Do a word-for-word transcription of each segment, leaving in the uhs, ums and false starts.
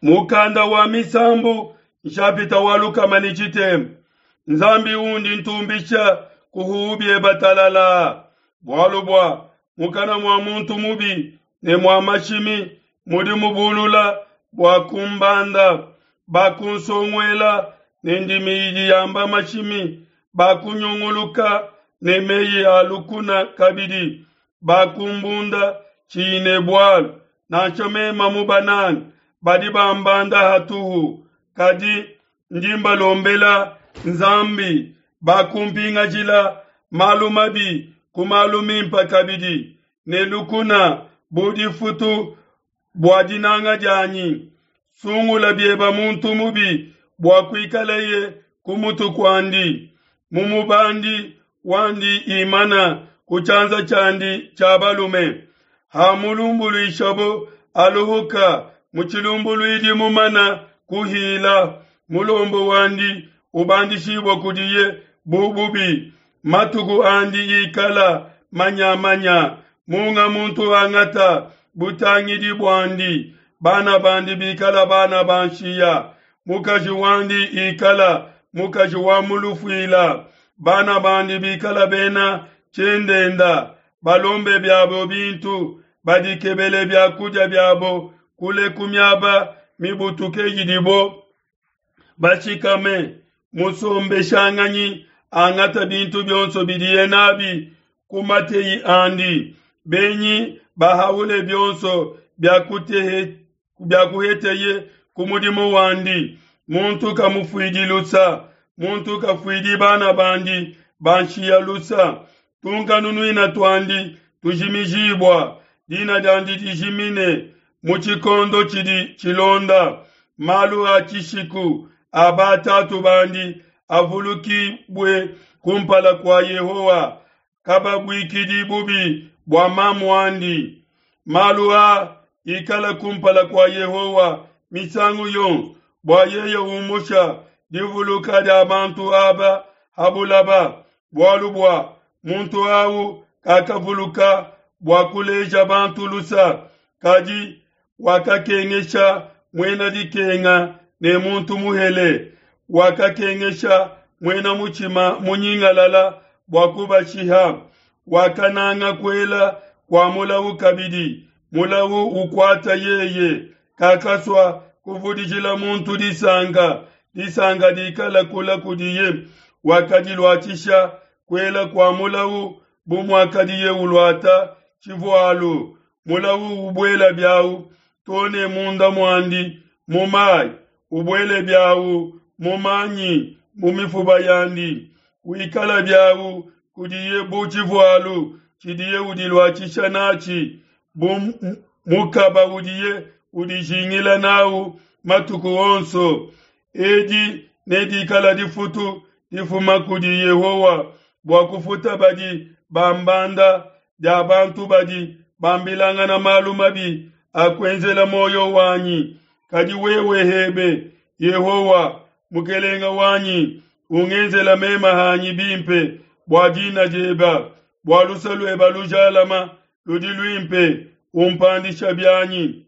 Mukanda wa Misambu nshapita wa lukama ne tshitema. Nzambi undi ntumbisha kuhu bieba talala. Bualu bua mukana mua muntu mubi ne mua mashimi mudi mubulula bua kumbanda, bakunsonguela ne ndimi idi yamba mashimi, bakunyunguluka ne meyi a lukuna kabidi, bakumbunda tshiyi ne bualu, nansha mema mubanange badi bambanda hatuhu, kadi ndi mbalombela Nzambi, bakumpingajila malu mabi ku malu mimpe kabidi, ne lukuna bu difutu bua dinanga dianyi. Sungula bieba muntu mubi bua kuikaleye ku mutu kuandi, mumubandi wandi imana ku tshianza tshiandi tshia balume. Hamulumbuluishabo aluhuka mu tshilumbuluidi mumana kuhila, mulombo wandi ubandishibua kudiye bu bubi, matuku andi ikala manyamanya. Munga muntu angata butangidi buandi, bana bandi bikala bana ba nshiya, mukaji wandi ikala mukaji wa mulufuila, bana bandi bikala bena tshiendenda, balombe biabo bintu, badikebele biakudia biabo kule ku miaba mibutuke idibo bashikame. Musombeshanganyi angata bintu bionso bidiye nabi ku mateyi andi, benyi bahaule bionso biakuheteye ku mudimu wandi. Muntu kamufuidi lusa, muntu kafuidi bana bandi ba nshiya lusa. Tunkanunuina tuandi tujimijibua, dina diandi dijimine mu tshikondo tshidi tshilonda. Malu a tshishiku a batatu bandi avulukibue kumpala kua Yehowa, kababuikidi bubi bua mamu andi. Malu a ikala kumpala kua Yehowa misangu yonso, bua yeye umusha divuluka dia bantu aba ha bulaba, bualu bua muntu au kakavuluka bua kuleja bantu lusa, kadi wakakengesha muena dikenga ne muntu muhele, wakakengesha muena mutshima munyingalala bua kubashiha. Wakananga kuela kua mulawu kabidi, mulawu ukuata yeye, kakasua kuvudijila muntu disanka, disanka dikala kula kudiye. Wakadiluatshisha kuela kua mulawu bu muakadiye uluata tshivualu. Mulawu ubuela biawu too ne munda muandi mu mayi, ubuele biawu mu manyi mu mifuba yandi, wikala biawu kudiye bu tshivualu tshidiye udiluatshisha natshi, bu mukaba udiye udijingila nawu matuku onso. Edi nedikala difutu difuma kudi Yehowa bua kufuta badi bambanda dia bantu badi bambilangana malu mabi a kuenzela muoyo wanyi. Kadi wewe hebe, Yehowa Mukelenge wanyi, ungenzela mema hanyi bimpe bua dina dieba, bua luse lueba lujalama ludi luimpe, umpandisha bianyi.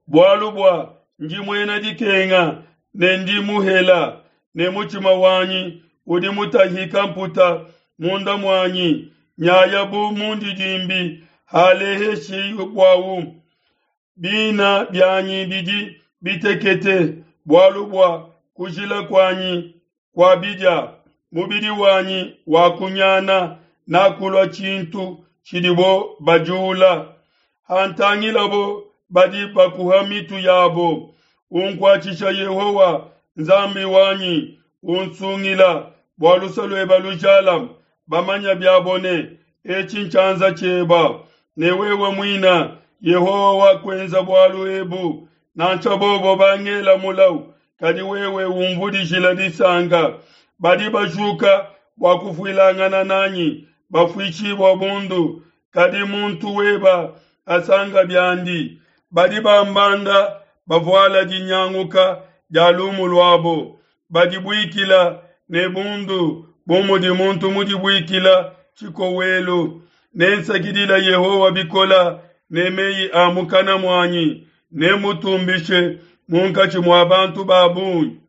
Bualu bua ndi muena dikenga ne ndi muhela, ne mutshima wanyi udi mutahika mputa munda muanyi, nyaya bu mundidimbi haleheshibuawu. Bina bianyi bidi bitekete, bualu bua kujila kuanyi kua bidia, mubidi wanyi wakunyana, nakulua tshintu tshidibo bajula. Hantangilabo badi bakuha mitu yabo. Unkuatshisha Yehowa Nzambi wanyi, unsungila bua luse lueba lujalame. Bamanya biabo ne etshi ntshianza tshieba, ne wewe muina Yehowa wakuenza bualu ebu. Nansha bobo bangela mulau, kadi wewe umvudijila disanka. Badi bajuka bua kufuilangana nanyi bafuishibua bundu, kadi muntu weba asanga biandi. Badi bambanda bavuala dinyanguka dia lumu luabo, badibuikila ne bundu bu mudi muntu mudibuikila tshikowelu. Nensakidila Yehowa bikola ne meyi a mukana muanyi, nemutumbishe munkatshi mua bantu ba bungi.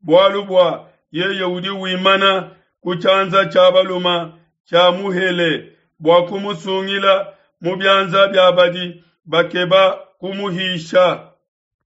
Bualu bua yeye udi wimana ku tshianza tshia balume tshia muhele bua kumusungila mu bianza bia badi bakeba kumuhisha.